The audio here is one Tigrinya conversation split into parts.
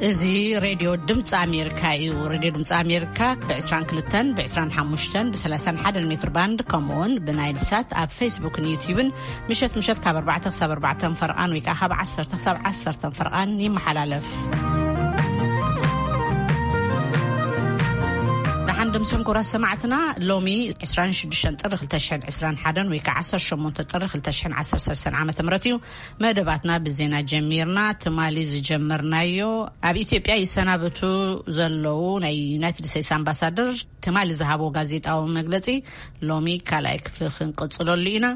እዚ ሬድዮ ድምፂ ኣሜሪካ እዩ። ሬድዮ ድምፂ ኣሜሪካ ብ22፣ ብ25፣ ብ31 ሜትር ባንድ፣ ከምኡውን ብናይል ሳት ኣብ ፌስቡክን ዩቲዩብን ምሸት ምሸት ካብ ኣርባዕተ ክሳብ ኣርባዕተ ፈርቓን ወይ ከዓ ካብ ዓሰርተ ክሳብ ዓሰርተ ፈርቓን ይመሓላለፍ። ደሓን ድምስኩም ክቡራት ሰማዕትና፣ ሎሚ ዕስራን ሽዱሽተን ጥሪ ክልተ ሽሕን ዕስራን ሓደን ወይ ከዓ ዓሰርተ ሸሞንተ ጥሪ ክልተ ሽሕን ዓሰርተ ሰለስተን ዓመተ ምህረት እዩ። መደባትና ብዜና ጀሚርና። ትማሊ ዝጀመርናዮ፣ ኣብ ኢትዮጵያ ይሰናበቱ ዘለዉ ናይ ዩናይትድ ስቴትስ ኣምባሳደር ትማሊ ዝሃቦ ጋዜጣዊ መግለጺ ሎሚ ካልኣይ ክፍሊ ክንቅጽለሉ ኢና።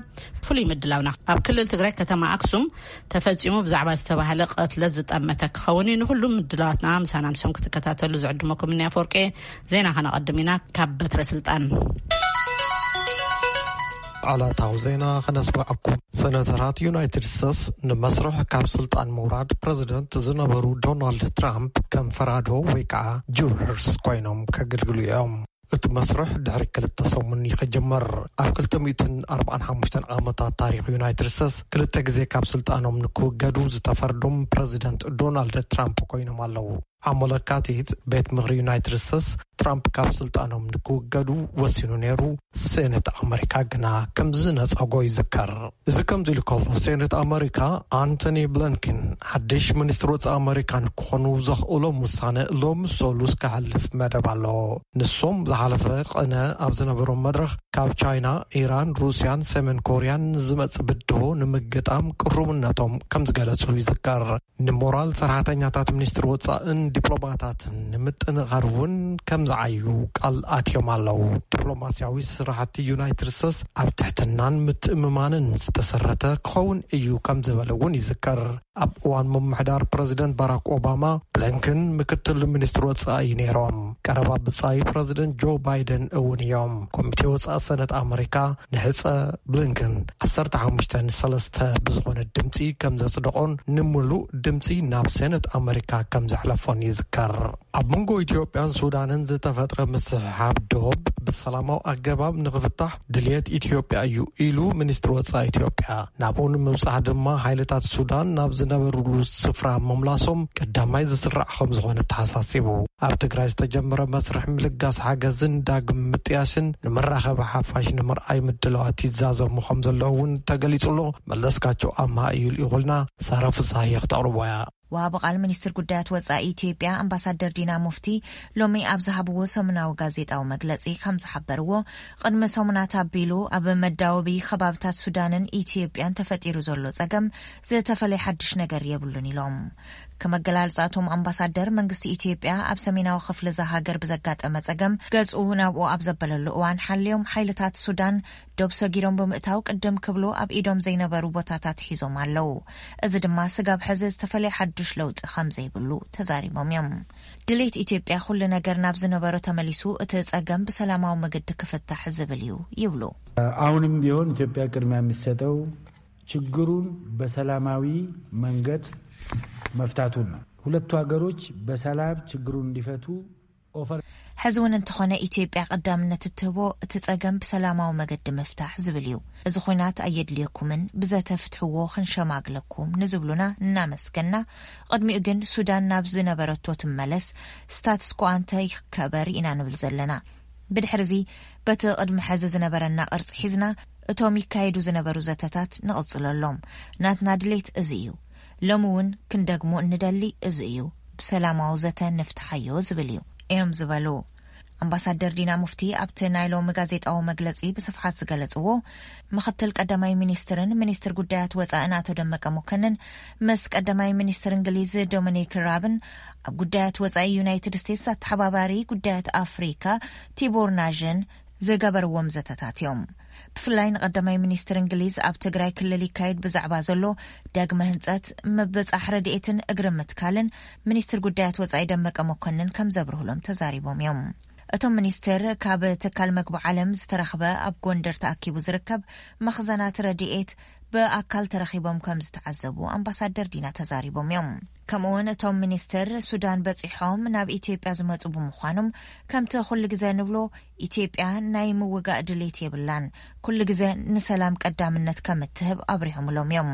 ፍሉይ ምድላውና ኣብ ክልል ትግራይ ከተማ ኣክሱም ተፈጺሙ ብዛዕባ ዝተባህለ ቅትለት ዝጠመተ ክኸውን እዩ። ንኹሉ ምድላዋትና ምሳና ምሰም ክትከታተሉ ዝዕድመኩም እኒ ኣፈወርቄ። ዜና ከነቐድም ኢና። ካብ በትረ ስልጣን ዕለታዊ ዜና ከነስምዐኩም። ሰነተራት ዩናይትድ ስቴትስ ንመስርሕ ካብ ስልጣን ምውራድ ፕረዚደንት ዝነበሩ ዶናልድ ትራምፕ ከም ፈራዶ ወይ ከዓ ጁረርስ ኮይኖም ከገልግሉ እዮም። እቲ መስርሕ ድሕሪ ክልተ ሰሙን እዩ ክጅመር። ኣብ ክልተ ሚእትን ኣርባዓን ሓሙሽተን ዓመታት ታሪኽ ዩናይትድ ስቴትስ ክልተ ግዜ ካብ ስልጣኖም ንክውገዱ ዝተፈርዶም ፕረዚደንት ዶናልድ ትራምፕ ኮይኖም ኣለዉ። ዓሞ ለካቲት ቤት ምኽሪ ዩናይትድ ስቴትስ ትራምፕ ካብ ስልጣኖም ንክውገዱ ወሲኑ ነይሩ። ሴኔት ኣመሪካ ግና ከም ዝነጸጎ ይዝከር። እዚ ከምዚ ኢሉ ከሎ፣ ሴኔት ኣመሪካ ኣንቶኒ ብሊንከን ሓድሽ ሚኒስትር ወጻኢ ኣመሪካ ንክኾኑ ዘኽእሎም ውሳነ ሎሚ ሰሉስ ክሓልፍ መደብ ኣሎ። ንሶም ዝሓለፈ ቅነ ኣብ ዝነበሮም መድረኽ ካብ ቻይና፣ ኢራን፣ ሩስያን ሰሜን ኮርያን ዝመጽእ ብድሆ ንምግጣም ቅሩብነቶም ከም ዝገለጹ ይዝከር። ንሞራል ሰራሕተኛታት ሚኒስትሪ ወጻእን ዲፕሎማታትን ንምጥንኻር እውን ከም ዝዓዩ ቃል ኣትዮም ኣለዉ። ዲፕሎማስያዊ ስራሕቲ ዩናይትድ ስቴትስ ኣብ ትሕትናን ምትእምማንን ዝተሰረተ ክኸውን እዩ ከም ዝበለ እውን ይዝከር። ኣብ እዋን ምምሕዳር ፕረዚደንት ባራክ ኦባማ፣ ብሊንከን ምክትል ሚኒስትሪ ወጻኢ ነይሮም። ቀረባ ብጻይ ፕረዚደንት ጆ ባይደን እውን እዮም። ኮሚቴ ወጻኢ ሰነት ኣመሪካ ንሕጸ ብሊንከን ዓሰርተ ሓሙሽተ ንሰለስተ ብዝኾነ ድምጺ ከም ዘጽደቖን ንምሉእ ድምጺ ናብ ሴነት ኣመሪካ ከም ዘሕለፎን ይዝከር። ኣብ መንጎ ኢትዮጵያን ሱዳንን ዝተፈጥረ ምስሕሓብ ዶብ ብሰላማዊ ኣገባብ ንኽፍታሕ ድልየት ኢትዮጵያ እዩ ኢሉ ሚኒስትሪ ወጻኢ ኢትዮጵያ። ናብኡ ንምብጻሕ ድማ ሓይልታት ሱዳን ናብ ዝነበሩሉ ስፍራ ምምላሶም ቀዳማይ ዝስራዕ ከም ዝኾነ ተሓሳሲቡ። ኣብ ትግራይ ዝተጀመረ መስርሕ ምልጋስ ሓገዝን ዳግም ምጥያስን ንመራኸቢ ሓፋሽ ንምርኣይ ምድላዋት ይዛዘሙ ከም ዘለዉ እውን ተገሊጹ ኣሎ። መለስካቸው ኣምሃ እዩ ልኢኹልና። ሳራ ፍስሃየ ክተቕርቦ እያ። ወሃቢ ቃል ሚኒስትር ጉዳያት ወጻኢ ኢትዮጵያ ኣምባሳደር ዲና ሙፍቲ ሎሚ ኣብ ዝሃብዎ ሰሙናዊ ጋዜጣዊ መግለጺ ከም ዝሓበርዎ፣ ቅድሚ ሰሙናት ኣቢሉ ኣብ መዳወቢ ከባብታት ሱዳንን ኢትዮጵያን ተፈጢሩ ዘሎ ጸገም ዝተፈለየ ሓድሽ ነገር የብሉን ኢሎም። ከመገላልጻ እቶም ኣምባሳደር፣ መንግስቲ ኢትዮጵያ ኣብ ሰሜናዊ ክፍሊ እዛ ሃገር ብዘጋጠመ ጸገም ገጹ ናብኡ ኣብ ዘበለሉ እዋን፣ ሓልዮም ሓይልታት ሱዳን ዶብ ሰጊሮም ብምእታው ቅድም ክብሉ ኣብ ኢዶም ዘይነበሩ ቦታታት ሒዞም ኣለዉ። እዚ ድማ ስጋብ ሕዚ ዝተፈለየ ሓዱሽ ለውጢ ከም ዘይብሉ ተዛሪቦም እዮም። ድሌት ኢትዮጵያ ኩሉ ነገር ናብ ዝነበሮ ተመሊሱ እቲ ጸገም ብሰላማዊ መገዲ ክፍታሕ ዝብል እዩ ይብሉ። አሁንም ቢሆን ኢትዮጵያ ቅድሚያ የሚሰጠው ችግሩን በሰላማዊ መንገድ መፍታቱን ነው። ሁለቱ ሀገሮች በሰላም ችግሩን እንዲፈቱ ኦፈር። ሕዚ እውን እንተኾነ ኢትዮጵያ ቀዳምነት እትህቦ እቲ ጸገም ብሰላማዊ መገዲ ምፍታሕ ዝብል እዩ። እዚ ኹናት ኣየድልየኩምን፣ ብዘተ ፍትሕዎ ክንሸማግለኩም ንዝብሉና እናመስገና፣ ቅድሚኡ ግን ሱዳን ናብ ዝነበረቶ ትመለስ፣ ስታትስ ኮ ኣንተ ይከበር ኢና ንብል ዘለና። ብድሕሪ እዚ በቲ ቅድሚ ሕዚ ዝነበረና ቅርጺ ሒዝና እቶም ይካየዱ ዝነበሩ ዘተታት ንቕጽለሎም። ናትና ድሌት እዚ እዩ። ሎሚ እውን ክንደግሞ እንደሊ እዚ እዩ። ብሰላማዊ ዘተ ንፍትሓዮ ዝብል እዩ እዮም ዝበሉ። ኣምባሳደር ዲና ሙፍቲ ኣብቲ ናይ ሎሚ ጋዜጣዊ መግለጺ ብስፍሓት ዝገለጽዎ፣ ምኽትል ቀዳማይ ሚኒስትርን ሚኒስትር ጉዳያት ወጻእን ኣቶ ደመቀ መኮንን ምስ ቀዳማይ ሚኒስትር እንግሊዝ ዶሚኒክ ራብን ኣብ ጉዳያት ወጻኢ ዩናይትድ ስቴትስ ኣተሓባባሪ ጉዳያት ኣፍሪካ ቲቦር ናዥን ዝገበርዎም ዘተታት እዮም። ብፍላይ ንቀዳማይ ሚኒስትር እንግሊዝ ኣብ ትግራይ ክልል ይካየድ ብዛዕባ ዘሎ ዳግመ ህንጸት፣ ምብጻሕ ረድኤትን እግሪ ምትካልን ሚኒስትር ጉዳያት ወጻኢ ደመቀ መኮንን ከም ዘብርህሎም ተዛሪቦም እዮም። እቶም ሚኒስትር ካብ ትካል መግቢ ዓለም ዝተረኽበ ኣብ ጎንደር ተኣኪቡ ዝርከብ መኽዘናት ረድኤት ብኣካል ተረኺቦም ከም ዝተዓዘቡ ኣምባሳደር ዲና ተዛሪቦም እዮም። ከምኡውን እቶም ሚኒስትር ሱዳን በጺሖም ናብ ኢትዮጵያ ዝመጹ ብምዃኖም፣ ከምቲ ኩሉ ግዜ ንብሎ፣ ኢትዮጵያ ናይ ምውጋእ ድሌት የብላን፣ ኩሉ ግዜ ንሰላም ቀዳምነት ከም እትህብ ኣብሪሆምሎም እዮም።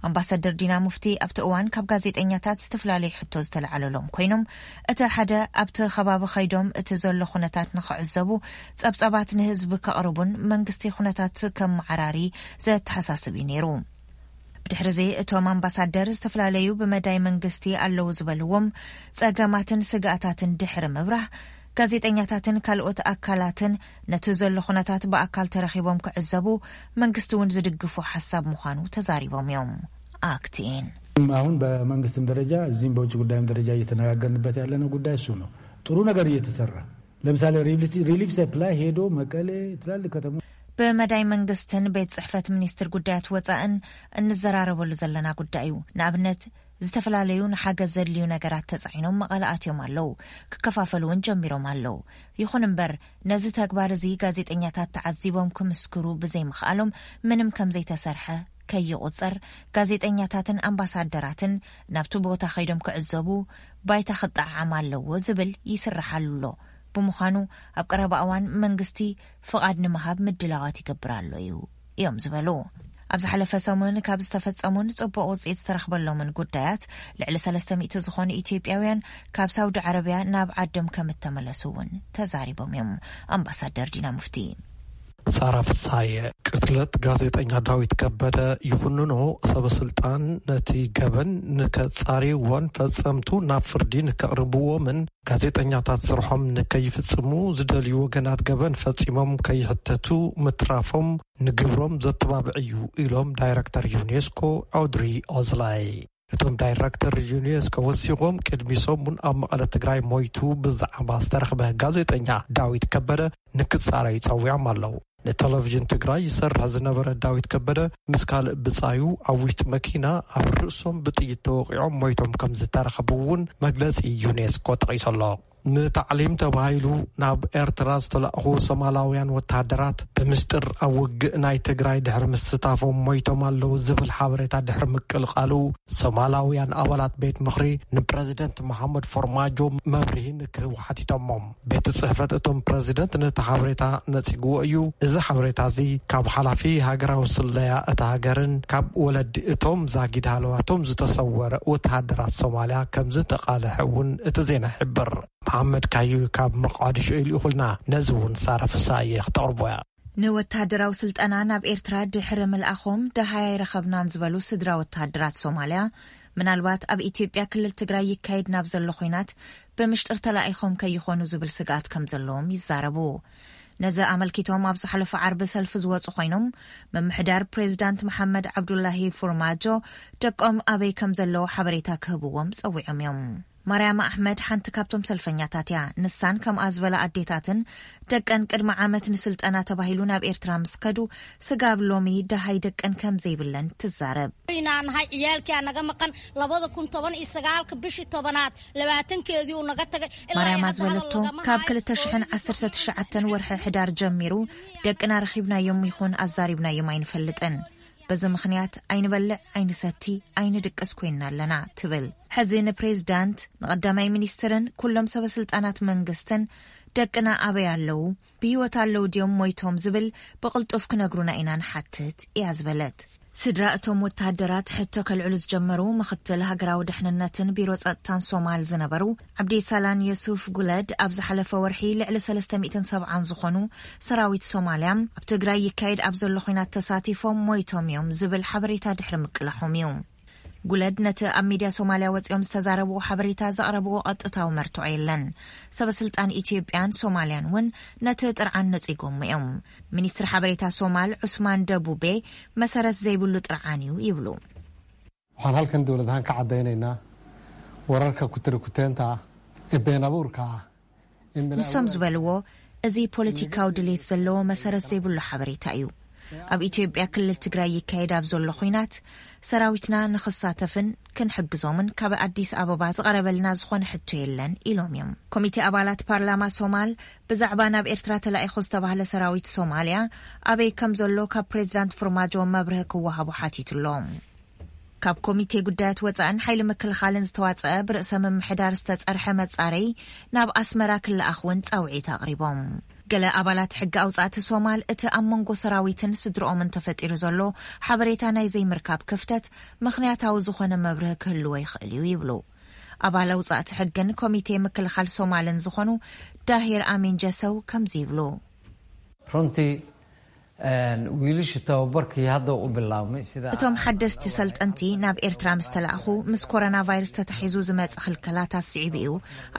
ኣምባሳደር ዲና ሙፍቲ ኣብቲ እዋን ካብ ጋዜጠኛታት ዝተፈላለዩ ሕቶ ዝተለዓለሎም ኮይኖም፣ እቲ ሓደ ኣብቲ ከባቢ ከይዶም እቲ ዘሎ ኩነታት ንኽዕዘቡ፣ ጸብጻባት ንህዝቢ ከቕርቡን መንግስቲ ኩነታት ከመዓራሪ ዘተሓሳስብ እዩ ነይሩ። ብድሕሪ እዚ እቶም ኣምባሳደር ዝተፈላለዩ ብመዳይ መንግስቲ ኣለዉ ዝበልዎም ጸገማትን ስግኣታትን ድሕሪ ምብራህ፣ ጋዜጠኛታትን ካልኦት ኣካላትን ነቲ ዘሎ ኩነታት ብኣካል ተረኺቦም ክዕዘቡ መንግስቲ እውን ዝድግፎ ሓሳብ ምዃኑ ተዛሪቦም እዮም። ኣክቲን አሁን በመንግስትም ደረጃ እዚህም በውጭ ጉዳይም ደረጃ እየተነጋገርንበት ያለነው ጉዳይ እሱ ነው። ጥሩ ነገር እየተሰራ። ለምሳሌ ሪሊፍ ሰፕላይ ሄዶ መቀሌ፣ ትላልቅ ከተሞች ብመዳይ መንግስትን ቤት ጽሕፈት ሚኒስትር ጉዳያት ወጻእን እንዘራረበሉ ዘለና ጉዳይ እዩ። ንኣብነት፣ ዝተፈላለዩ ንሓገዝ ዘድልዩ ነገራት ተጻዒኖም መቐለ ኣትዮም ኣለዉ። ክከፋፈሉ እውን ጀሚሮም ኣለዉ። ይኹን እምበር፣ ነዚ ተግባር እዚ ጋዜጠኛታት ተዓዚቦም ክምስክሩ ብዘይምኽኣሎም፣ ምንም ከም ዘይተሰርሐ ከይቑጸር፣ ጋዜጠኛታትን ኣምባሳደራትን ናብቲ ቦታ ከይዶም ክዕዘቡ ባይታ ክጠዓዓም ኣለዎ ዝብል ይስርሓሉ ኣሎ። ብምዃኑ፣ ኣብ ቀረባ እዋን መንግስቲ ፍቓድ ንምሃብ ምድላዋት ይገብር ኣሎ እዩ እዮም ዝበሉ። ኣብ ዝሓለፈ ሰሙን ካብ ዝተፈጸሙን ጽቡቕ ውጽኢት ዝተረኽበሎምን ጉዳያት፣ ልዕሊ ሰለስተ ሚእቲ ዝኾኑ ኢትዮጵያውያን ካብ ሳውዲ ዓረብያ ናብ ዓዶም ከም እተመለሱ እውን ተዛሪቦም እዮም ኣምባሳደር ዲና ሙፍቲ። ሳራ ፍሳየ፣ ቅትለት ጋዜጠኛ ዳዊት ከበደ ይኹንኖ ሰበ ስልጣን ነቲ ገበን ንከጻርይዎን ፈጸምቱ ናብ ፍርዲ ንከቕርብዎምን ጋዜጠኛታት ስርሖም ንከይፍጽሙ ዝደልዩ ወገናት ገበን ፈጺሞም ከይሕተቱ ምትራፎም ንግብሮም ዘተባብዕ እዩ ኢሎም ዳይረክተር ዩኔስኮ ኦድሪ ኦዝላይ። እቶም ዳይረክተር ዩኔስኮ ወሲኾም ቅድሚ ሰሙን ኣብ መቐለ ትግራይ ሞይቱ ብዛዕባ ዝተረኽበ ጋዜጠኛ ዳዊት ከበደ ንክጻረዩ ጸዊዖም ኣለዉ። ንቴሌቪዥን ትግራይ ይሰርሕ ዝነበረ ዳዊት ከበደ ምስ ካልእ ብጻዩ ኣብ ውሽጢ መኪና ኣብ ርእሶም ብጥይት ተወቒዖም ሞይቶም ከም ዝተረኸቡ እውን መግለጺ ዩኔስኮ ጠቒሱ ኣሎ። ንታዕሊም ተባሂሉ ናብ ኤርትራ ዝተላእኹ ሶማላውያን ወተሃደራት ብምስጢር ኣብ ውግእ ናይ ትግራይ ድሕሪ ምስታፎም ሞይቶም ኣለዉ ዝብል ሓበሬታ ድሕሪ ምቅልቃሉ፣ ሶማላውያን ኣባላት ቤት ምኽሪ ንፕረዚደንት መሓመድ ፎርማጆ መብርሂ ንክህቡ ሓቲቶሞም። ቤት ጽሕፈት እቶም ፕረዚደንት ነቲ ሓበሬታ ነጺግዎ እዩ። እዚ ሓበሬታ እዚ ካብ ሓላፊ ሃገራዊ ስለያ እታ ሃገርን ካብ ወለዲ እቶም ዛጊድ ሃለዋቶም ዝተሰወረ ወተሃደራት ሶማልያ ከም ዝተቓልሐ እውን እቲ ዜና ይሕብር። መሓመድ ካዩ ካብ መቃዲሾ እዩ ልኢኹልና። ነዚ እውን ሳራ ፍሳየ ክተቕርቦ እያ። ንወተሃደራዊ ስልጠና ናብ ኤርትራ ድሕሪ ምልኣኾም ደሃይ ኣይረኸብናን ዝበሉ ስድራ ወተሃደራት ሶማልያ፣ ምናልባት ኣብ ኢትዮጵያ ክልል ትግራይ ይካየድ ናብ ዘሎ ኹናት ብምሽጥር ተላኢኾም ከይኾኑ ዝብል ስግኣት ከም ዘለዎም ይዛረቡ። ነዚ ኣመልኪቶም ኣብ ዝሓለፈ ዓርቢ ሰልፊ ዝወጹ ኮይኖም፣ ምምሕዳር ፕሬዚዳንት መሓመድ ዓብዱላሂ ፎርማጆ ደቆም ኣበይ ከም ዘለዉ ሓበሬታ ክህብዎም ጸዊዖም እዮም። ማርያማ ኣሕመድ ሓንቲ ካብቶም ሰልፈኛታት እያ። ንሳን ከምኣ ዝበላ ኣዴታትን ደቀን ቅድሚ ዓመት ንስልጠና ተባሂሉ ናብ ኤርትራ ምስ ከዱ፣ ስጋብ ሎሚ ደሃይ ደቀን ከም ዘይብለን ትዛረብ። ኢና ንሃይ ዕያልኪያ ነገ መቐን ለበደ ኩን ቶበን ኢሰጋልክ ብሽ ቶበናት ለባትን ከዚኡ ነገ ተገ ማርያማ ዝበለቶ፣ ካብ ክልተ ሽሕን ዓሰርተ ትሽዓተን ወርሒ ሕዳር ጀሚሩ ደቅና ረኺብናዮም ይኹን ኣዛሪብናዮም ኣይንፈልጥን። በዚ ምኽንያት ኣይንበልዕ፣ ኣይንሰቲ፣ ኣይንድቅስ ኮይንና ኣለና ትብል። ሕዚ ንፕሬዝዳንት፣ ንቐዳማይ ሚኒስትርን ኩሎም ሰበ ስልጣናት መንግስትን ደቅና ኣበይ ኣለዉ፣ ብህይወት ኣለዉ ድዮም ሞይቶም ዝብል ብቕልጡፍ ክነግሩና ኢና ንሓትት እያ ዝበለት። ስድራ እቶም ወተሃደራት ሕቶ ከልዕሉ ዝጀመሩ ምኽትል ሃገራዊ ድሕንነትን ቢሮ ጸጥታን ሶማል ዝነበሩ ዓብዲ ሳላን የሱፍ ጉለድ ኣብ ዝሓለፈ ወርሒ ልዕሊ ሰለስተ ሚእትን ሰብዓን ዝኾኑ ሰራዊት ሶማልያ ኣብ ትግራይ ይካየድ ኣብ ዘሎ ኹናት ተሳቲፎም ሞይቶም እዮም ዝብል ሓበሬታ ድሕሪ ምቅላሖም እዩ። ጉለድ ነቲ ኣብ ሚድያ ሶማልያ ወጺኦም ዝተዛረብዎ ሓበሬታ ዘቕረብዎ ቀጥታዊ መርትዖ የለን። ሰበ ስልጣን ኢትዮጵያን ሶማልያን እውን ነቲ ጥርዓን ነጺጎሞ እዮም። ሚኒስትሪ ሓበሬታ ሶማል ዑስማን ደቡቤ መሰረት ዘይብሉ ጥርዓን እዩ ይብሉ። Waxaan halkan dowlad ahaan ka caddaynaynaa wararka kutiri kuteenta ah ee been abuurka ah. ንሶም ዝበልዎ፣ እዚ ፖለቲካዊ ድሌት ዘለዎ መሰረት ዘይብሉ ሓበሬታ እዩ። ኣብ ኢትዮጵያ ክልል ትግራይ ይካየድ ኣብ ዘሎ ኹናት ሰራዊትና ንኽሳተፍን ክንሕግዞምን ካብ ኣዲስ ኣበባ ዝቐረበልና ዝኾነ ሕቶ የለን ኢሎም እዮም። ኮሚቴ ኣባላት ፓርላማ ሶማል ብዛዕባ ናብ ኤርትራ ተላኢኹ ዝተባህለ ሰራዊት ሶማልያ ኣበይ ከም ዘሎ ካብ ፕሬዚዳንት ፎርማጆ መብርሂ ክወሃቦ ሓቲቱ ኣሎ። ካብ ኮሚቴ ጉዳያት ወጻእን ሓይሊ ምክልኻልን ዝተዋጸአ ብርእሰ ምምሕዳር ዝተጸርሐ መጻረይ ናብ ኣስመራ ክለኣኽ እውን ጻውዒት ኣቕሪቦም። ገለ ኣባላት ሕጊ ኣውጻእቲ ሶማል፣ እቲ ኣብ መንጎ ሰራዊትን ስድርኦምን ተፈጢሩ ዘሎ ሓበሬታ ናይ ዘይምርካብ ክፍተት ምኽንያታዊ ዝኾነ መብርሂ ክህልዎ ይኽእል እዩ ይብሉ። ኣባል ኣውጻእቲ ሕግን ኮሚቴ ምክልኻል ሶማልን ዝኾኑ ዳሂር ኣሚን ጀሰው ከምዚ ይብሉ። Runtii, wiilasha tababarkii hadda u bilaabmay sida እቶም ሓደስቲ ሰልጠንቲ ናብ ኤርትራ ምስ ተላእኹ፣ ምስ ኮሮና ቫይረስ ተታሒዙ ዝመጽእ ክልከላታት ስዒቡ እዩ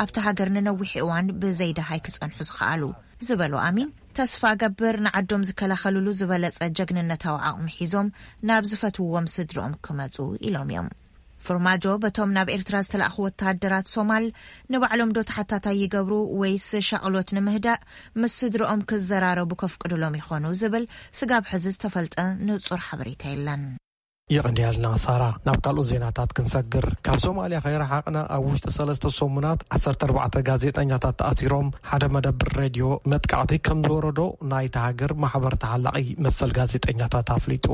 ኣብቲ ሃገር ንነዊሕ እዋን ብዘይደሃይ ክጸንሑ ዝኸኣሉ ዝበሉ ኣሚን፣ ተስፋ ገብር ንዓዶም ዝከላኸልሉ ዝበለጸ ጀግንነታዊ ዓቕሚ ሒዞም ናብ ዝፈትውዎም ስድርኦም ክመጹ ኢሎም እዮም። ፍርማጆ በቶም ናብ ኤርትራ ዝተላእኹ ወተሃደራት ሶማል ንባዕሎም ዶ ተሓታታይ ይገብሩ ወይስ ሻቕሎት ንምህዳእ ምስ ስድርኦም ክዘራረቡ ከፍቅዱሎም ይኾኑ ዝብል ስጋብ ሕዚ ዝተፈልጠ ንጹር ሓበሬታ የለን። የቐንያልና ሳራ። ናብ ካልኦት ዜናታት ክንሰግር፣ ካብ ሶማልያ ከይረሓቕና ኣብ ውሽጢ ሰለስተ ሰሙናት ዓሰርተ ኣርባዕተ ጋዜጠኛታት ተኣሲሮም፣ ሓደ መደብር ሬድዮ መጥቃዕቲ ከም ዝወረዶ ናይቲ ሃገር ማሕበር ተሓላቒ መሰል ጋዜጠኛታት ኣፍሊጡ።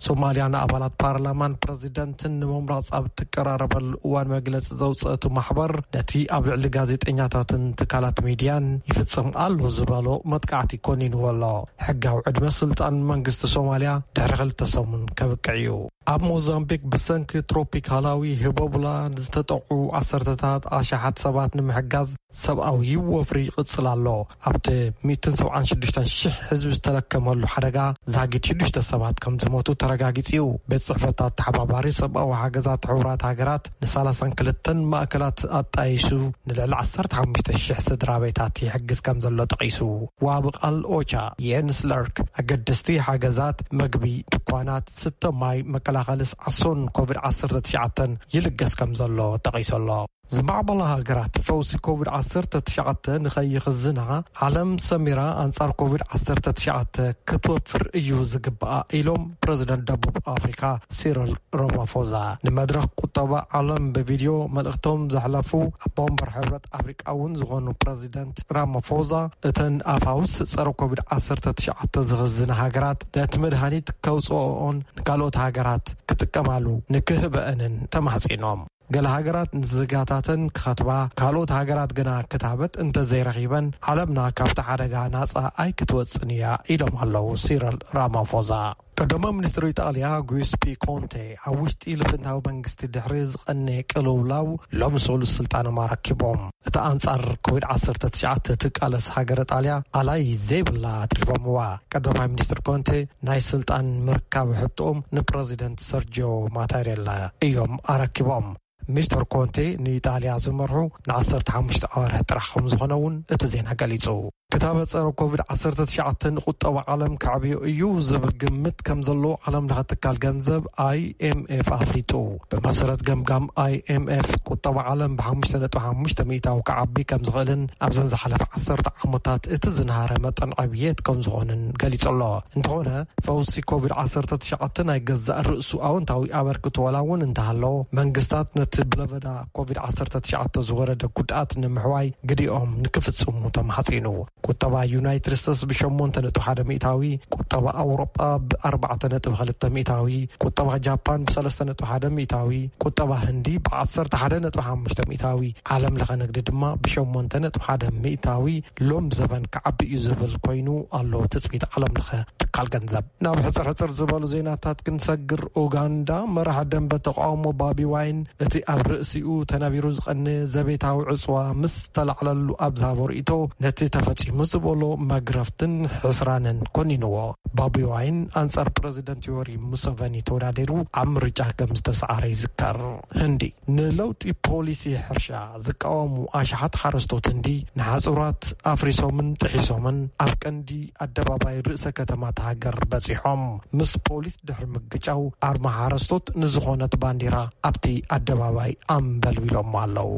ሶማልያ ንኣባላት ፓርላማን ፕረዚደንትን ንምምራጽ ኣብ ትቀራረበሉ እዋን መግለጺ ዘውፅእ እቲ ማሕበር፣ ነቲ ኣብ ልዕሊ ጋዜጠኛታትን ትካላት ሚድያን ይፍጽም ኣሎ ዝበሎ መጥቃዕቲ ኮኒንዎ ኣሎ። ሕጋዊ ዕድመ ስልጣን መንግስቲ ሶማልያ ድሕሪ ክልተ ሰሙን ከብቅዕ እዩ። ኣብ ሞዛምቢክ ብሰንኪ ትሮፒካላዊ ህቦብላ ዝተጠቕዑ ዓሰርተታት ኣሽሓት ሰባት ንምሕጋዝ ሰብኣዊ ወፍሪ ይቕጽል ኣሎ። ኣብቲ ሚእትን ሰብዓን ሽዱሽተን ሽሕ ህዝቢ ዝተለከመሉ ሓደጋ ዛጊድ ሽዱሽተ ሰባት ከም ዝሞቱ ተረጋጊጹ እዩ። ቤት ጽሕፈት ኣተሓባባሪ ሰብኣዊ ሓገዛት ሕቡራት ሃገራት ንሳላሳን ክልተን ማእከላት ኣጣይሱ ንልዕሊ ዓሰርተ ሓሙሽተ ሽሕ ስድራ ቤታት ይሕግዝ ከም ዘሎ ጠቒሱ። ዋቢ ቃል ኦቻ የንስ ለርክ ኣገደስቲ ሓገዛት፣ መግቢ፣ ድኳናት፣ ስተ ማይ፣ መከላኸሊ ሰዓሶን ኮቪድ ዓሰርተ ትሽዓተን ይልገስ ከም ዘሎ ጠቒሱ ኣሎ። ዝማዕበላ ሃገራት ፈውሲ ኮቪድ ዓሰርተ ትሽዓተ ንኸይኽዝና ዓለም ሰሚራ ኣንጻር ኮቪድ ዓሰርተ ትሽዓተ ክትወፍር እዩ ዝግባኣ ኢሎም ፕረዚደንት ደቡብ ኣፍሪካ ሲሪል ራማፎዛ። ንመድረኽ ቁጠባ ዓለም ብቪድዮ መልእኽቶም ዘሕለፉ ኣቦ ወንበር ሕብረት ኣፍሪቃ እውን ዝኾኑ ፕረዚደንት ራማፎዛ፣ እተን ኣፋውስ ጸረ ኮቪድ ዓሰርተ ትሽዓተ ዝኽዝና ሃገራት ነቲ መድሃኒት ከውፅኦኦን ንካልኦት ሃገራት ክጥቀማሉ ንክህበአንን ተማሕጺኖም። ገለ ሃገራት ንዜጋታተን ክኸትባ፣ ካልኦት ሃገራት ግና ክታበት እንተዘይረኺበን ዓለምና ካብቲ ሓደጋ ናጻ ኣይክትወጽን እያ ኢሎም ኣለዉ ሲሪል ራማፎዛ። ቀዳማይ ሚኒስትር ኢጣልያ ጉስፒ ኮንቴ ኣብ ውሽጢ ልፍንታዊ መንግስቲ ድሕሪ ዝቐነየ ቅልውላው ሎሚ ሰሉስ ስልጣኖም ኣረኪቦም። እቲ ኣንጻር ኮቪድ ዓሰርተ ትሽዓተ ትቃለስ ሃገረ ጣልያ ኣላይ ዘይብላ ኣትሪፎምዋ። ቀዳማይ ሚኒስትር ኮንቴ ናይ ስልጣን ምርካብ ሕቶኦም ንፕረዚደንት ሰርጂዮ ማታሬላ እዮም ኣረኪቦም። ሚስተር ኮንቴ ንኢጣልያ ዝመርሑ ንዓሰርተ ሓሙሽተ ኣዋርሕ ጥራሕ ከም ዝኾነ እውን እቲ ዜና ገሊጹ። ክታበ ጸረ ኮቪድ ዓሰርተ ትሽዓተ ንቁጠባ ዓለም ከዕብዮ እዩ ዝብል ግምት ከም ዘለዎ ዓለም ለኸ ትካል ገንዘብ ኣይኤምኤፍ ኣፍሊጡ። ብመሰረት ገምጋም ኣይኤምኤፍ፣ ቁጠባ ዓለም ብሓሙሽተ ነጥቢ ሓሙሽተ ሚእታዊ ክዓቢ ከም ዝኽእልን ኣብዘን ዝሓለፈ ዓሰርተ ዓመታት እቲ ዝነሃረ መጠን ዕብየት ከም ዝኾንን ገሊጹ ኣሎ። እንተኾነ፣ ፈውሲ ኮቪድ ዓሰርተ ትሽዓተ ናይ ገዛእ ርእሱ ኣወንታዊ ኣበርክቶ ዋላ እውን እንተሃለዎ፣ መንግስታት ነቲ ብለበዳ ኮቪድ ዓሰርተ ትሽዓተ ዝወረደ ጉድኣት ንምሕዋይ ግዲኦም ንክፍጽሙ ተማሕጺኑ። ቁጠባ ዩናይትድ ስቴትስ ብሸሞንተ ነጥቢ ሓደ ሚእታዊ፣ ቁጠባ ኣውሮጳ ብኣርባዕተ ነጥቢ ክልተ ሚእታዊ፣ ቁጠባ ጃፓን ብሰለስተ ነጥቢ ሓደ ሚእታዊ፣ ቁጠባ ህንዲ ብዓሰርተ ሓደ ነጥቢ ሓሙሽተ ሚእታዊ፣ ዓለም ለኸ ንግዲ ድማ ብሸሞንተ ነጥቢ ሓደ ሚእታዊ ሎም ዘበን ክዓቢ እዩ ዝብል ኮይኑ ኣሎ ትጽቢት ዓለም ለኸ ትካል ገንዘብ። ናብ ሕጽር ሕጽር ዝበሉ ዜናታት ክንሰግር፣ ኡጋንዳ መራሕ ደንበ ተቃውሞ ባቢ ዋይን እቲ ኣብ ርእሲኡ ተነቢሩ ዝቐነ ዘቤታዊ ዕጽዋ ምስ ተላዕለሉ ኣብ ዝሃቦ ርእይቶ፣ ነቲ ተፈጺሙ ዝበሎ መግረፍትን ሕስራንን ኮኒንዎ። ባቢ ዋይን ኣንጻር ፕረዚደንት ዮወሪ ሙሰቨኒ ተወዳዲሩ ኣብ ምርጫ ከም ዝተሰዓረ ይዝከር። ህንዲ ንለውጢ ፖሊሲ ሕርሻ ዝቃወሙ ኣሽሓት ሓረስቶት ህንዲ ንሓጹራት ኣፍሪሶምን ጥሒሶምን ኣብ ቀንዲ ኣደባባይ ርእሰ ከተማ እታ ሃገር በጺሖም። ምስ ፖሊስ ድሕሪ ምግጫው ኣርማ ሓረስቶት ንዝኾነት ባንዲራ ኣብቲ ኣደባባይ ኣንበልቢሎም ኣለዉ።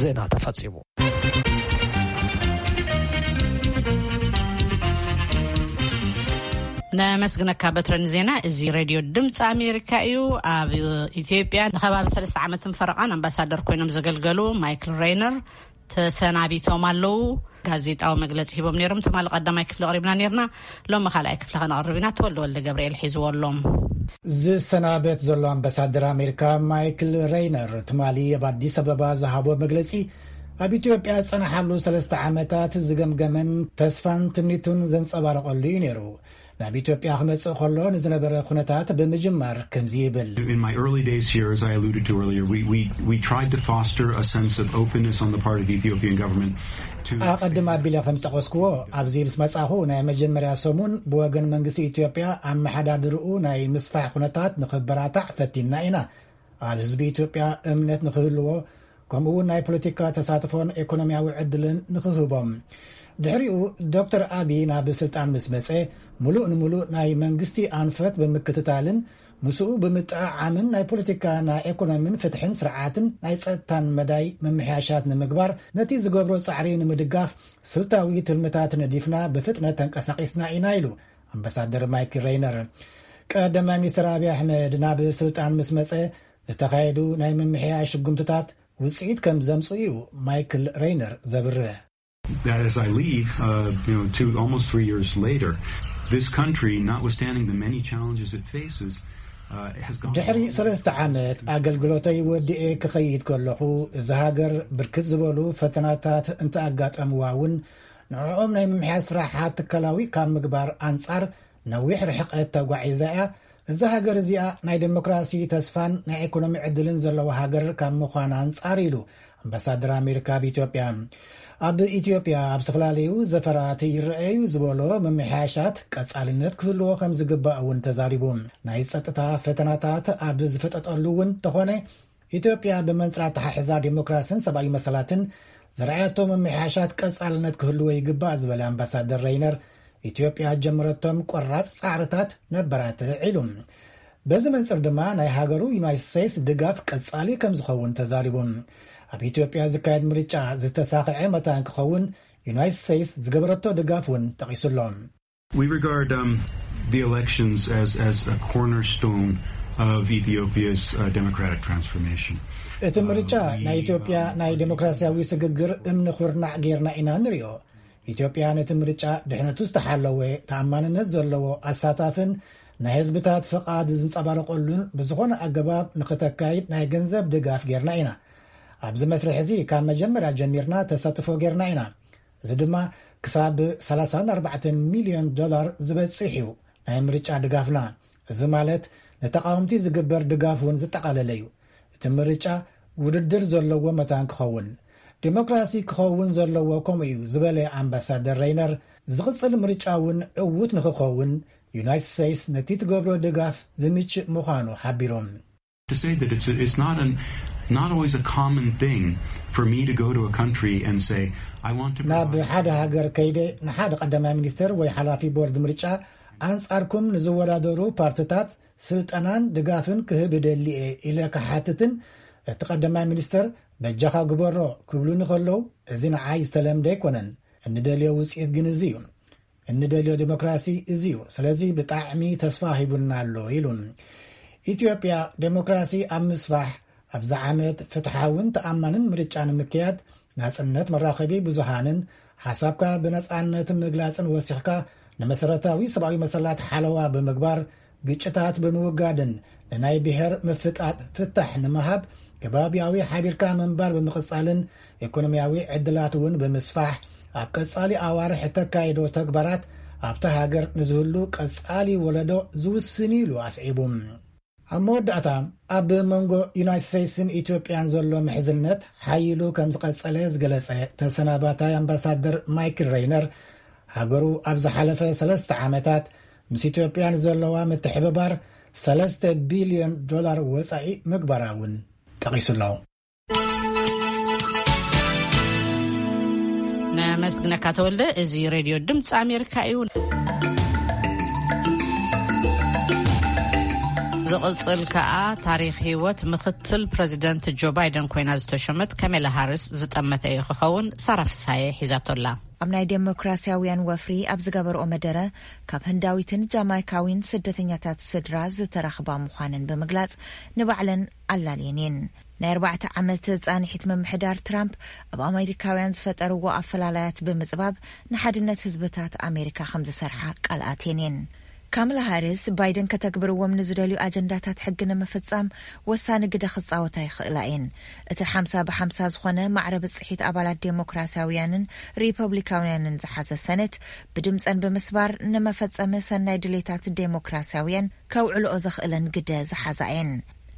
ዜና ተፈጺሙ። ነመስግነካ በትረ ንዜና። እዚ ሬድዮ ድምፂ ኣሜሪካ እዩ። ኣብ ኢትዮጵያ ንከባቢ ሰለስተ ዓመትን ፈረቓን ኣምባሳደር ኮይኖም ዘገልገሉ ማይክል ሬይነር ተሰናቢቶም ኣለዉ። ጋዜጣዊ መግለፂ ሂቦም ነይሮም። ትማሊ ቀዳማይ ክፍሊ ኣቕሪብና ነይርና። ሎሚ ካልኣይ ክፍሊ ከነቕርብ ኢና። ተወልደ ወልደ ገብርኤል ሒዝዎ ኣሎም። ዝሰናበት ዘሎ ኣምባሳደር ኣሜሪካ ማይክል ሬይነር ትማሊ ኣብ ኣዲስ ኣበባ ዝሃቦ መግለፂ፣ ኣብ ኢትዮጵያ ዝጸንሓሉ ሰለስተ ዓመታት ዝገምገመን ተስፋን ትምኒቱን ዘንጸባረቐሉ እዩ ነይሩ። ናብ ኢትዮጵያ ክመጽእ ከሎ ንዝነበረ ኩነታት ብምጅማር ከምዚ ይብል። In my early days here, as I alluded to earlier, we, we, we tried to foster a sense of openness on the part of the Ethiopian government to ኣቐድም ኣቢለ ከም ዝጠቐስክዎ፣ ኣብዚ ምስ መጻኹ ናይ መጀመርያ ሰሙን ብወገን መንግስቲ ኢትዮጵያ ኣመሓዳድርኡ ናይ ምስፋሕ ኩነታት ንኽበራታዕ ፈቲንና ኢና። ኣብ ህዝቢ ኢትዮጵያ እምነት ንኽህልዎ፣ ከምኡ እውን ናይ ፖለቲካ ተሳትፎን ኤኮኖሚያዊ ዕድልን ንኽህቦም። ድሕሪኡ ዶክተር ኣቢ ናብ ስልጣን ምስ መጸ፣ ምሉእ ንምሉእ ናይ መንግስቲ ኣንፈት ብምክትታልን ምስኡ ብምጥዕዓምን ናይ ፖለቲካ፣ ናይ ኤኮኖሚን ፍትሕን ስርዓትን ናይ ጸጥታን መዳይ ምምሕያሻት ንምግባር ነቲ ዝገብሮ ጻዕሪ ንምድጋፍ ስልታዊ ትልምታት ነዲፍና ብፍጥነት ተንቀሳቒስና ኢና ኢሉ ኣምባሳደር ማይክል ሬይነር። ቀዳማይ ሚኒስትር ኣቢ ኣሕመድ ናብ ስልጣን ምስ መጸ ዝተኻየዱ ናይ ምምሕያሽ ስጉምትታት ውጽኢት ከም ዘምጽኡ እዩ ማይክል ሬይነር ዘብርህ። As I leave, uh, you know, two, almost three years later, this country, notwithstanding the many challenges it faces, uh, has gone. ድሕሪ ሰለስተ ዓመት ኣገልግሎተይ ወዲኤ ክኸይድ ከለኹ፣ እዚ ሃገር ብርክት ዝበሉ ፈተናታት እንተኣጋጠምዋ እውን፣ ንዕኦም ናይ ምምሕያሽ ስራሓት ትካላዊ ካብ ምግባር ኣንጻር ነዊሕ ርሕቀት ተጓዒዛ እያ። እዛ ሃገር እዚኣ ናይ ዴሞክራሲ ተስፋን ናይ ኤኮኖሚ ዕድልን ዘለዋ ሃገር ካብ ምዃን ኣንጻር ኢሉ ኣምባሳደር ኣሜሪካ ኣብ ኢትዮጵያ። ኣብ ኢትዮጵያ ኣብ ዝተፈላለዩ ዘፈራት ይረኣዩ ዝበሎ ምምሕያሻት ቀጻልነት ክህልዎ ከም ዝግባእ እውን ተዛሪቡ። ናይ ጸጥታ ፈተናታት ኣብ ዝፈጠጠሉ እውን ተኾነ፣ ኢትዮጵያ ብመንጽር ኣተሓሕዛ ዴሞክራስን ሰብኣዊ መሰላትን ዝረኣያቶ ምምሕያሻት ቀጻልነት ክህልዎ ይግባእ ዝበለ ኣምባሳደር ሬይነር፣ ኢትዮጵያ ጀመረቶም ቆራጽ ጻዕርታት ነበራትዕ ኢሉ። በዚ መንጽር ድማ ናይ ሃገሩ ዩናይትድ ስቴትስ ድጋፍ ቀጻሊ ከም ዝኸውን ተዛሪቡ። ኣብ ኢትዮጵያ ዝካየድ ምርጫ ዝተሳኽዐ መታን ክኸውን ዩናይትድ ስቴትስ ዝገበረቶ ድጋፍ እውን ጠቒሱ ኣሎ። We regard um, the elections as, as a cornerstone of Ethiopia's uh, democratic transformation. እቲ ምርጫ ናይ ኢትዮጵያ ናይ ዴሞክራሲያዊ ስግግር እምኒ ኩርናዕ ጌርና ኢና ንሪኦ። ኢትዮጵያ ነቲ ምርጫ ድሕነቱ ዝተሓለወ፣ ተኣማንነት ዘለዎ፣ ኣሳታፍን ናይ ህዝብታት ፍቓድ ዝንጸባረቐሉን ብዝኾነ ኣገባብ ንኽተካይድ ናይ ገንዘብ ድጋፍ ጌርና ኢና። ኣብዚ መስርሕ እዚ ካብ መጀመርያ ጀሚርና ተሳትፎ ጌርና ኢና። እዚ ድማ ክሳብ ሰላሳን ኣርባዕተን ሚልዮን ዶላር ዝበጽሕ እዩ ናይ ምርጫ ድጋፍና። እዚ ማለት ንተቓወምቲ ዝግበር ድጋፍ እውን ዝጠቓለለ እዩ። እቲ ምርጫ ውድድር ዘለዎ መታን ክኸውን፣ ዴሞክራሲ ክኸውን ዘለዎ ከምኡ እዩ ዝበለ ኣምባሳደር ሬይነር፣ ዝቕጽል ምርጫ እውን ዕዉት ንኽኸውን ዩናይትድ ስቴትስ ነቲ ትገብሮ ድጋፍ ዝምችእ ምዃኑ ሓቢሩ። To say that it's, it's not, an, not always a common thing for me to go to a country and say, I want to ናብ provide. ሓደ ሃገር ከይደ ንሓደ ቀዳማይ ሚኒስትር ወይ ሓላፊ ቦርድ ምርጫ ኣንጻርኩም ንዝወዳደሩ ፓርትታት ስልጠናን ድጋፍን ክህብ እደሊ እየ ኢለ ክሓትትን፣ እቲ ቀዳማይ ሚኒስትር በጃኻ ግበሮ ክብሉኒ ከለዉ፣ እዚ ንዓይ ዝተለምደ ኣይኮነን። እንደልዮ ውጽኢት ግን እዚ እዩ። እንደልዮ ዴሞክራሲ እዚ እዩ። ስለዚ ብጣዕሚ ተስፋ ሂቡና ኣሎ ኢሉ። ኢትዮጵያ ዴሞክራሲ ኣብ ምስፋሕ፣ ኣብዚ ዓመት ፍትሓውን ተኣማንን ምርጫ ንምክያድ ናጽነት መራኸቢ ብዙሃንን ሓሳብካ ብነጻነት ምግላጽን ወሲኽካ፣ ንመሰረታዊ ሰብኣዊ መሰላት ሓለዋ ብምግባር፣ ግጭታት ብምውጋድን ንናይ ብሔር ምፍጣጥ ፍታሕ ንምሃብ፣ ከባቢያዊ ሓቢርካ ምንባር ብምቕጻልን ኢኮኖሚያዊ ዕድላት እውን ብምስፋሕ፣ ኣብ ቀጻሊ ኣዋርሕ እተካይዶ ተግባራት ኣብታ ሃገር ንዝህሉ ቀጻሊ ወለዶ ዝውስን እዩ ኢሉ ኣስዒቡ። ኣብ መወዳእታ፣ ኣብ መንጎ ዩናይትድ ስቴትስን ኢትዮጵያን ዘሎ ምሕዝነት ሓይሉ ከም ዝቐጸለ ዝገለጸ ተሰናባታይ ኣምባሳደር ማይክል ሬይነር፣ ሃገሩ ኣብ ዝሓለፈ ሰለስተ ዓመታት ምስ ኢትዮጵያ ንዘለዋ ምትሕብባር ሰለስተ ቢልዮን ዶላር ወጻኢ ምግባራ እውን ጠቒሱ ኣሎ። ነመስግነካ ተወልደ። እዚ ሬድዮ ድምፂ ኣሜሪካ እዩ። ዝቕፅል ከኣ ታሪኽ ህይወት ምክትል ፕረዚደንት ጆ ባይደን ኮይና ዝተሾመት ካሜላ ሃሪስ ዝጠመተ እዩ ክኸውን። ሳራ ፍሳየ ሒዛቶላ። ኣብ ናይ ዴሞክራሲያውያን ወፍሪ ኣብ ዝገበርኦ መደረ፣ ካብ ህንዳዊትን ጃማይካዊን ስደተኛታት ስድራ ዝተረኽባ ምዃነን ብምግላጽ፣ ንባዕለን ኣላልየን እየን። ናይ ኣርባዕተ ዓመት ጻንሒት ምምሕዳር ትራምፕ ኣብ ኣሜሪካውያን ዝፈጠርዎ ኣፈላላያት ብምጽባብ፣ ንሓድነት ህዝብታት ኣሜሪካ ከም ዝሰርሓ ቃል ኣትየን እየን። ካምላ ሃሪስ፣ ባይደን ከተግብርዎም ንዝደልዩ ኣጀንዳታት ሕጊ ንምፍጻም ወሳኒ ግደ ክጻወታ ይኽእላ እየን። እቲ ሓምሳ ብሓምሳ ዝኾነ ማዕረ ብጽሒት ኣባላት ዴሞክራሲያውያንን ሪፐብሊካውያንን ዝሓዘ ሰኔት፣ ብድምጸን ብምስባር ንመፈጸሚ ሰናይ ድሌታት ዴሞክራሲያውያን ከውዕልኦ ዘኽእለን ግደ ዝሓዛ እየን።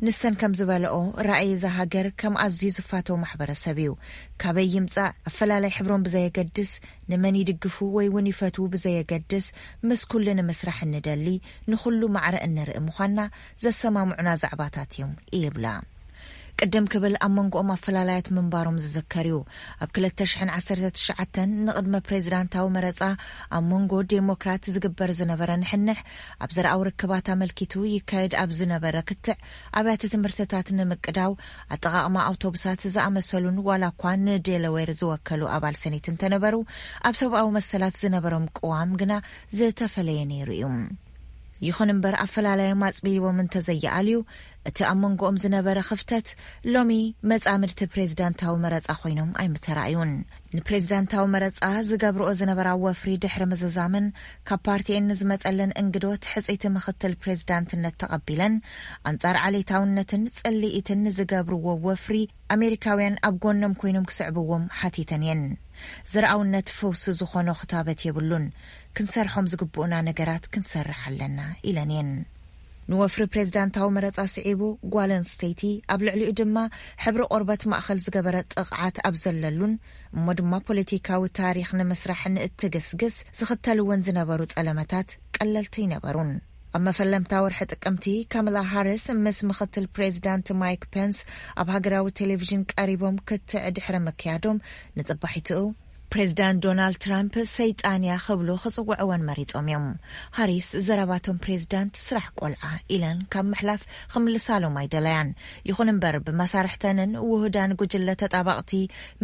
ንሰን ከም ዝበለኦ፣ ራእይ እዛ ሃገር ከም ኣዝዩ ዝፋተው ማሕበረሰብ እዩ። ካበይ ይምጻእ፣ ኣፈላላይ ሕብሮም ብዘየገድስ፣ ንመን ይድግፉ ወይ እውን ይፈትዉ ብዘየገድስ፣ ምስ ኩሉ ንምስራሕ እንደሊ፣ ንኹሉ ማዕረ እንርኢ ምዃንና ዘሰማምዑና ዛዕባታት እዮም ይብላ። ቅድም ክብል ኣብ መንጎኦም ኣፈላላያት ምንባሮም ዝዝከር እዩ። ኣብ ክልተ ሽሕን ዓሰርተ ትሽዓተን ንቕድመ ፕሬዚዳንታዊ መረጻ ኣብ መንጎ ዴሞክራት ዝግበር ዝነበረ ንሕንሕ፣ ኣብ ዘርኣዊ ርክባት ኣመልኪቱ ይካየድ ኣብ ዝነበረ ክትዕ፣ ኣብያተ ትምህርትታት ንምቅዳው፣ ኣጠቓቕማ ኣውቶቡሳት ዝኣመሰሉን ዋላ እኳ ንዴለዌር ዝወከሉ ኣባል ሰኔት እንተነበሩ፣ ኣብ ሰብኣዊ መሰላት ዝነበሮም ቅዋም ግና ዝተፈለየ ነይሩ እዩ። ይኹን እምበር፣ ኣፈላላዮም ኣጽቢቦም እንተዘይኣልዩ፣ እቲ ኣብ መንጎኦም ዝነበረ ክፍተት ሎሚ መጻምድቲ ፕሬዚዳንታዊ መረጻ ኮይኖም ኣይምተራእዩን። ንፕሬዚዳንታዊ መረጻ ዝገብርኦ ዝነበራ ወፍሪ ድሕሪ ምዝዛምን ካብ ፓርቲኤን ንዝመጸለን እንግዶት ሕጽይቲ ምኽትል ፕሬዚዳንትነት ተቐቢለን፣ ኣንጻር ዓሌታውነትን ጽልኢትን ንዝገብርዎ ወፍሪ ኣሜሪካውያን ኣብ ጎኖም ኮይኖም ክስዕብዎም ሓቲተን እየን። ዘርኣውነት ፈውሲ ዝኾኖ ክታበት የብሉን። ክንሰርሖም ዝግብኡና ነገራት ክንሰርሕ ኣለና ኢለን እየን። ንወፍሪ ፕሬዚዳንታዊ መረጻ ስዒቡ፣ ጓል ኣንስተይቲ ኣብ ልዕሊኡ ድማ ሕብሪ ቆርበት ማእኸል ዝገበረ ጥቕዓት ኣብ ዘለሉን እሞ ድማ ፖለቲካዊ ታሪኽ ንምስራሕ ንእትግስግስ ዝኽተልወን ዝነበሩ ጸለመታት ቀለልቲ ኣይነበሩን። ኣብ መፈለምታ ወርሒ ጥቅምቲ፣ ካማላ ሃሪስ ምስ ምኽትል ፕሬዚዳንት ማይክ ፔንስ ኣብ ሃገራዊ ቴሌቪዥን ቀሪቦም ክትዕ ድሕሪ ምክያዶም፣ ንጽባሒትኡ ፕሬዚዳንት ዶናልድ ትራምፕ ሰይጣን እያ ክብሉ ክጽውዕወን መሪጾም እዮም። ሃሪስ ዘረባቶም ፕሬዚዳንት ስራሕ ቆልዓ ኢለን ካብ ምሕላፍ ክምልሳሎም ኣይደለያን። ይኹን እምበር፣ ብመሳርሕተንን ውሁዳን ጉጅለ ተጣባቕቲ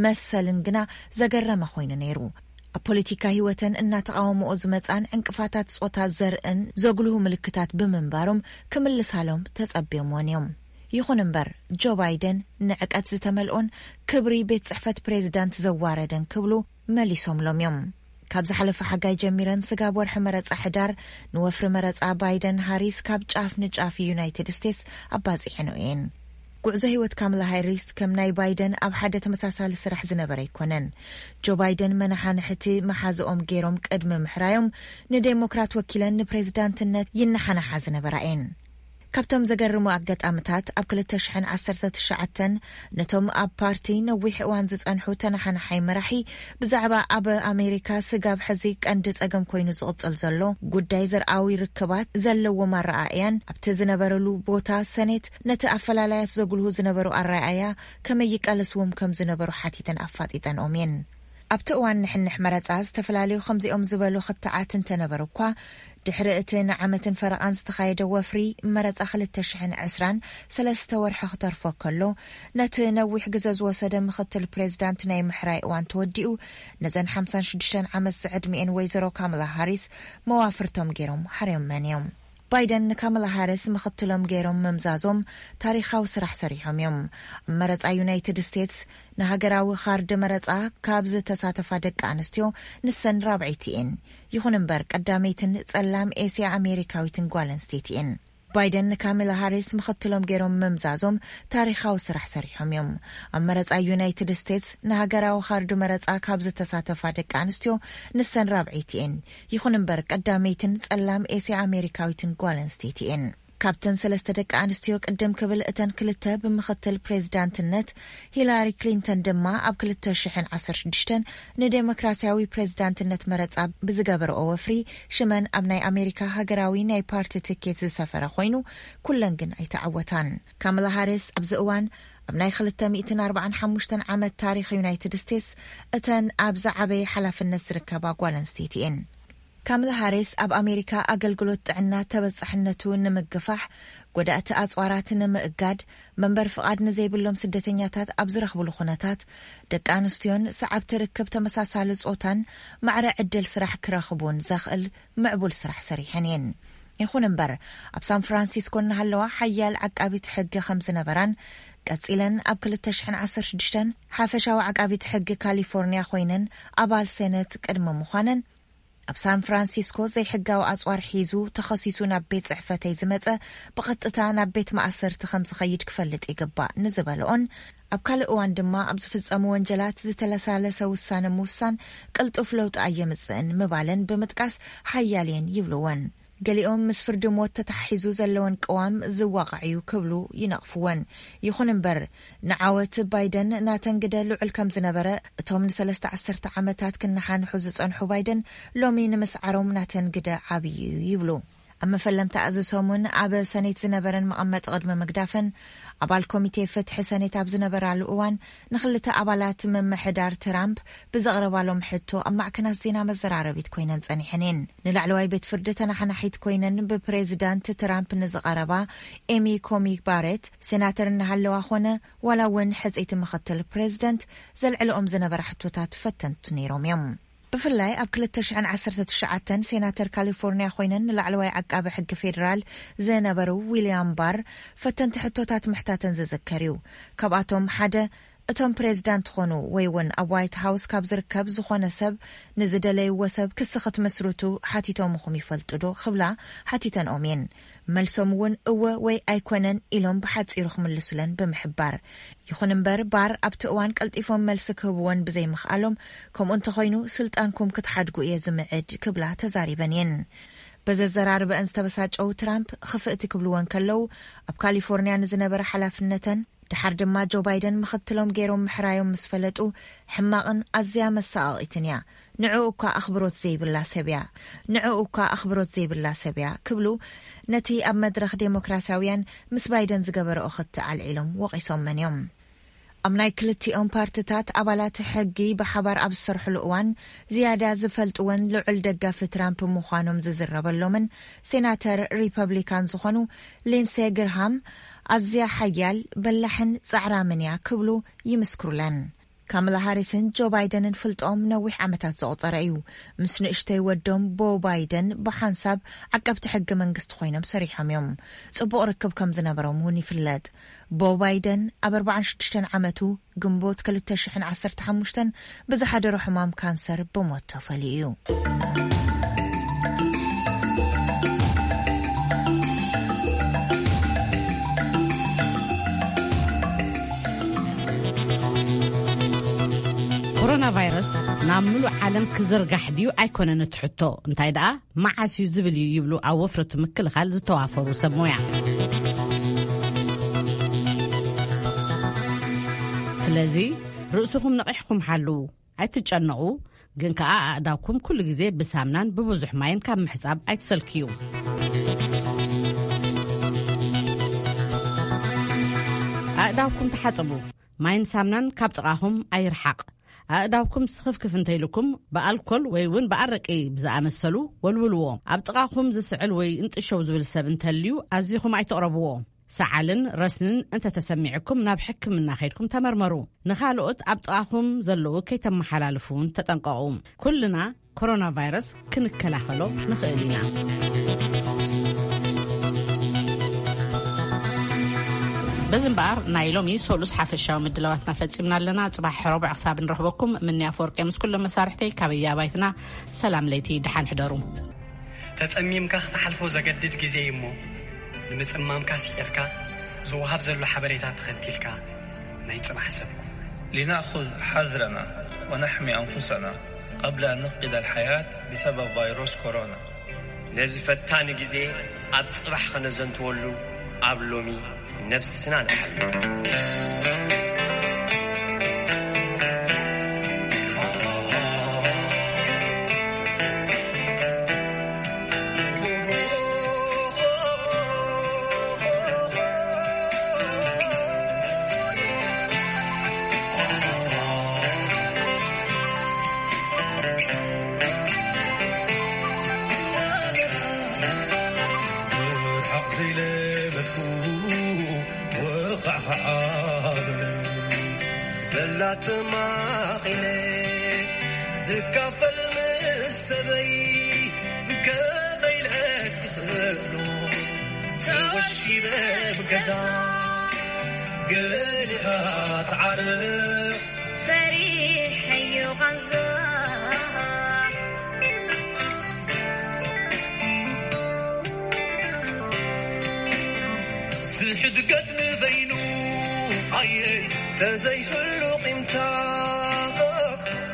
መሰልን ግና ዘገረመ ኮይኑ ነይሩ። ኣብ ፖለቲካ ህይወተን እናተቓወምኦ ዝመጻን ዕንቅፋታት ጾታ ዘርእን ዘጉልሁ ምልክታት ብምንባሮም ክምልሳሎም ተጸብዮምወን እዮም። ይኹን እምበር፣ ጆ ባይደን ንዕቀት ዝተመልኦን ክብሪ ቤት ጽሕፈት ፕሬዚዳንት ዘዋረደን ክብሉ መሊሶምሎም እዮም። ካብ ዝሓለፈ ሓጋይ ጀሚረን ስጋብ ወርሒ መረጻ ሕዳር ንወፍሪ መረጻ ባይደን ሃሪስ ካብ ጫፍ ንጫፍ ዩናይትድ ስቴትስ ኣባጺሐንኦ እየን። ጉዕዞ ህይወት ካማላ ሃሪስ ከም ናይ ባይደን ኣብ ሓደ ተመሳሳሊ ስራሕ ዝነበረ ኣይኮነን። ጆ ባይደን መናሓንሕቲ መሓዝኦም ገይሮም ቅድሚ ምሕራዮም ንዴሞክራት ወኪለን ንፕሬዚዳንትነት ይነሓናሓ ዝነበራ እየን። ካብቶም ዘገርሙ ኣጋጣምታት፣ ኣብ ክልተ ሽሕን ዓሰርተ ትሽዓተን ነቶም ኣብ ፓርቲ ነዊሕ እዋን ዝጸንሑ ተነሓናሓይ መራሒ ብዛዕባ ኣብ ኣሜሪካ ስጋብ ሕዚ ቀንዲ ጸገም ኮይኑ ዝቕጽል ዘሎ ጉዳይ ዘርኣዊ ርክባት ዘለዎም ኣረኣእያን ኣብቲ ዝነበረሉ ቦታ ሰኔት ነቲ ኣፈላላያት ዘጉልሁ ዝነበሩ ኣረኣእያ ከመይ ይቃለስዎም ከም ዝነበሩ ሓቲተን ኣፋጢጠንኦም እየን። ኣብቲ እዋን ንሕንሕ መረጻ ዝተፈላለዩ ከምዚኦም ዝበሉ ክትዓት እንተነበሩ እኳ፣ ድሕሪ እቲ ንዓመትን ፈረቓን ዝተኻየደ ወፍሪ መረጻ ክልተ ሽሕን ዕስራን ሰለስተ ወርሒ ክተርፎ ከሎ፣ ነቲ ነዊሕ ግዘ ዝወሰደ ምኽትል ፕሬዚዳንት ናይ ምሕራይ እዋን ተወዲኡ፣ ነዘን ሓምሳን ሽዱሽተን ዓመት ዝዕድሚኤን ወይዘሮ ካማላ ሃሪስ መዋፍርቶም ገይሮም ሓርዮመን እዮም። ባይደን ንካማላ ሃሪስ ምኽትሎም ገይሮም ምምዛዞም ታሪኻዊ ስራሕ ሰሪሖም እዮም። ኣብ መረጻ ዩናይትድ ስቴትስ ንሃገራዊ ካርድ መረጻ ካብ ዝተሳተፋ ደቂ ኣንስትዮ ንሰን ራብዐይቲ እየን። ይኹን እምበር፣ ቀዳመይትን ጸላም ኤስያ ኣሜሪካዊትን ጓል ኣንስተይቲ እየን። ባይደን ንካማላ ሃሪስ ምኽትሎም ገይሮም ምምዛዞም ታሪኻዊ ስራሕ ሰሪሖም እዮም። ኣብ መረጻ ዩናይትድ ስቴትስ ንሃገራዊ ካርድ መረጻ ካብ ዝተሳተፋ ደቂ ኣንስትዮ ንሰን ራብዐይቲ እየን። ይኹን እምበር፣ ቀዳመይትን ጸላም ኤስያ ኣሜሪካዊትን ጓል ኣንስተይቲ እየን። ካብተን ሰለስተ ደቂ ኣንስትዮ ቅድም ክብል፣ እተን ክልተ ብምኽትል ፕሬዚዳንትነት፣ ሂላሪ ክሊንተን ድማ ኣብ ክልተ ሽሕን ዓሰርተ ሽዱሽተን ንዴሞክራሲያዊ ፕሬዚዳንትነት መረጻ ብዝገበረኦ ወፍሪ ሽመን ኣብ ናይ ኣሜሪካ ሃገራዊ ናይ ፓርቲ ትኬት ዝሰፈረ ኮይኑ፣ ኩለን ግን ኣይተዓወታን። ካማላ ሃሪስ ኣብዚ እዋን ኣብ ናይ ክልተ ሚእትን ኣርባዓን ሓሙሽተን ዓመት ታሪኽ ዩናይትድ ስቴትስ እተን ኣብ ዝዓበየ ሓላፍነት ዝርከባ ጓል ኣንስተይቲ እየን። ካማላ ሃሪስ ኣብ ኣሜሪካ ኣገልግሎት ጥዕና ተበጻሕነቱ ንምግፋሕ፣ ጎዳእቲ ኣጽዋራት ንምእጋድ፣ መንበር ፍቓድ ንዘይብሎም ስደተኛታት ኣብ ዝረኽብሉ ኩነታት፣ ደቂ ኣንስትዮን ሰዓብቲ ርክብ ተመሳሳሊ ጾታን ማዕረ ዕድል ስራሕ ክረኽቡን ዘኽእል ምዕቡል ስራሕ ሰሪሐን እየን። ይኹን እምበር፣ ኣብ ሳን ፍራንሲስኮ እናሃለዋ ሓያል ዓቃቢት ሕጊ ከም ዝነበራን፣ ቀጺለን ኣብ ክልተ ሽሕን ዓሰርተ ሽዱሽተን ሓፈሻዊ ዓቃቢት ሕጊ ካሊፎርኒያ ኮይነን ኣባል ሴነት ቅድሚ ምዃነን፣ ኣብ ሳን ፍራንሲስኮ ዘይሕጋዊ ኣጽዋር ሒዙ ተኸሲሱ ናብ ቤት ጽሕፈተይ ዝመጸ፣ ብቐጥታ ናብ ቤት ማእሰርቲ ከም ዝኸይድ ክፈልጥ ይግባእ ንዝበልኦን፣ ኣብ ካልእ እዋን ድማ ኣብ ዝፍጸሙ ወንጀላት ዝተለሳለሰ ውሳነ ምውሳን ቅልጡፍ ለውጢ ኣየምጽእን ምባለን ብምጥቃስ ሓያል እየን ይብልወን። ገሊኦም ምስ ፍርዲ ሞት ተታሒዙ ዘለወን ቅዋም ዝዋቕዕ እዩ ክብሉ ይነቕፍወን። ይኹን እምበር፣ ንዓወት ባይደን ናተን ግደ ልዑል ከም ዝነበረ እቶም ንሰለስተ ዓሰርተ ዓመታት ክነሓንሑ ዝጸንሑ ባይደን ሎሚ ንምስዓሮም ናተን ግደ ዓብዪ እዩ ይብሉ። ኣብ መፈለምታ እዚ ሰሙን ኣብ ሰኔት ዝነበረን መቐመጢ ቅድሚ ምግዳፈን፣ ኣባል ኮሚቴ ፍትሒ ሰኔት ኣብ ዝነበራሉ እዋን ንኽልተ ኣባላት ምምሕዳር ትራምፕ ብዘቕረባሎም ሕቶ ኣብ ማዕከናት ዜና መዘራረቢት ኮይነን ጸኒሐን እየን። ንላዕለዋይ ቤት ፍርዲ ተናሓናሒት ኮይነን ብፕሬዚዳንት ትራምፕ ንዝቐረባ ኤሚ ኮሚ ባሬት ሴናተር እናሃለዋ ኾነ ዋላ እውን ሕጽይቲ ምኽትል ፕሬዚደንት ዘልዕልኦም ዝነበረ ሕቶታት ፈተንቲ ነይሮም እዮም። ብፍላይ ኣብ ክልተ ሽሕን ዓሰርተ ትሽዓተን ሴናተር ካሊፎርኒያ ኮይነን ንላዕለዋይ ዓቃቢ ሕጊ ፌዴራል ዝነበሩ ዊልያም ባር ፈተንቲ ሕቶታት ምሕታተን ዝዝከር እዩ። ካብኣቶም ሓደ፣ እቶም ፕሬዚዳንት ትኾኑ ወይ እውን ኣብ ዋይት ሃውስ ካብ ዝርከብ ዝኾነ ሰብ ንዝደለይዎ ሰብ ክሲ ክትምስርቱ ሓቲቶምኹም ይፈልጡ ዶ ክብላ ሓቲተንኦም እየን። መልሶም እውን እወ ወይ ኣይኮነን ኢሎም ብሓጺሩ ክምልሱለን ብምሕባር፣ ይኹን እምበር ባር ኣብቲ እዋን ቀልጢፎም መልሲ ክህብወን ብዘይምኽኣሎም፣ ከምኡ እንተኾይኑ ስልጣንኩም ክትሓድጉ እየ ዝምዕድ ክብላ ተዛሪበን እየን። በዘዘራርበአን ዝተበሳጨው ትራምፕ ክፍእቲ ክብልወን ከለዉ፣ ኣብ ካሊፎርኒያ ንዝነበረ ሓላፍነተን ድሓር ድማ ጆ ባይደን ምኽትሎም ገይሮም ምሕራዮም ምስ ፈለጡ፣ ሕማቕን ኣዝያ መሳቐቒትን እያ፣ ንዕኡ እኳ ኣኽብሮት ዘይብላ ሰብ እያ፣ ንዕኡ እኳ ኣኽብሮት ዘይብላ ሰብ እያ ክብሉ ነቲ ኣብ መድረኽ ዴሞክራሲያውያን ምስ ባይደን ዝገበረኦ ክትዕ ኣልዒሎም ወቒሶመን እዮም። ኣብ ናይ ክልቲኦም ፓርትታት ኣባላት ሕጊ ብሓባር ኣብ ዝሰርሕሉ እዋን ዝያዳ ዝፈልጥወን ልዑል ደጋፊ ትራምፕ ምዃኖም ዝዝረበሎምን ሴናተር ሪፐብሊካን ዝኾኑ ሊንሴ ግርሃም ኣዝያ ሓያል በላሕን ጻዕራምን እያ ክብሉ ይምስክሩለን። ካማላ ሃሪስን ጆ ባይደንን ፍልጦም ነዊሕ ዓመታት ዘቑጸረ እዩ። ምስ ንእሽተይ ወዶም ቦ ባይደን ብሓንሳብ ዓቀብቲ ሕጊ መንግስቲ ኮይኖም ሰሪሖም እዮም። ጽቡቕ ርክብ ከም ዝነበሮም እውን ይፍለጥ። ቦ ባይደን ኣብ ኣርባዓን ሽዱሽተን ዓመቱ ግንቦት ክልተ ሽሕን ዓሰርተ ሓሙሽተን ብዝሓደሮ ሕማም ካንሰር ብሞት ተፈልዩ እዩ። ኮሮና ቫይረስ ናብ ምሉእ ዓለም ክዝርጋሕ ድዩ ኣይኮነን እቲ ሕቶ፣ እንታይ ደኣ መዓስ እዩ ዝብል እዩ ይብሉ ኣብ ወፍሪ ምክልኻል ዝተዋፈሩ ሰብ ሞያ። ስለዚ ርእስኹም ነቒሕኩም ሓልዉ፣ ኣይትጨነቑ፣ ግን ከኣ ኣእዳውኩም ኩሉ ግዜ ብሳምናን ብብዙሕ ማይን ካብ ምሕጻብ ኣይትሰልክዩ። ኣእዳውኩም ተሓጸቡ። ማይን ሳምናን ካብ ጥቓኹም ኣይርሓቕ። ኣእዳውኩም ስኽፍክፍ እንተኢልኩም ብኣልኮል ወይ እውን ብኣረቂ ብዝኣመሰሉ ወልውልዎ። ኣብ ጥቓኹም ዝስዕል ወይ እንጥሸው ዝብል ሰብ እንተልዩ ኣዚኹም ኣይትቕረብዎ። ሰዓልን ረስንን እንተተሰሚዕኩም ናብ ሕክምና ከይድኩም ተመርመሩ። ንኻልኦት ኣብ ጥቓኹም ዘለዉ ከይተመሓላልፉ እውን ተጠንቀቑ። ኩልና ኮሮና ቫይረስ ክንከላኸሎ ንኽእል ኢና። በዚ እምበኣር ናይ ሎሚ ሰሉስ ሓፈሻዊ ምድላዋትና ፈጺምና ኣለና። ጽባሕ ረቡዕ ክሳብ ንረኽበኩም፣ ምንያ ኣፈወርቂ ምስ ኩሎም መሳርሕተይ ካበይ ኣባይትና ሰላም ለይቲ፣ ደሓን ሕደሩ። ተጸሚምካ ክትሓልፎ ዘገድድ ግዜ እዩ እሞ፣ ንምጽማምካ ስዒርካ ዝወሃብ ዘሎ ሓበሬታ ተኸቲልካ ናይ ጽባሕ ሰብ ኩን። لنأخذ حذرنا ونحمي أنفسنا قبل أن نفقد الحياة بسبب فيروس كورونا. ነዚ ፈታኒ ግዜ ኣብ ጽባሕ ከነዘንትወሉ ኣብ ሎሚ ነብስና ንሓሉ። ብርሓቕ ዘይለመድኩ ወኻዕኻዕ ኣበለኒ። ዘላ ተማቒለ ዝካፈል ምስ ሰበይ ከመይ ኢለ ክኽእሎ? ተወሺበ ብገዛ ገሊኻ ትዓርቕ ፈሪሐዮ ቃንዛ። እድገት ንበይኑ ኣየ ተዘይህሉ ቂምታ።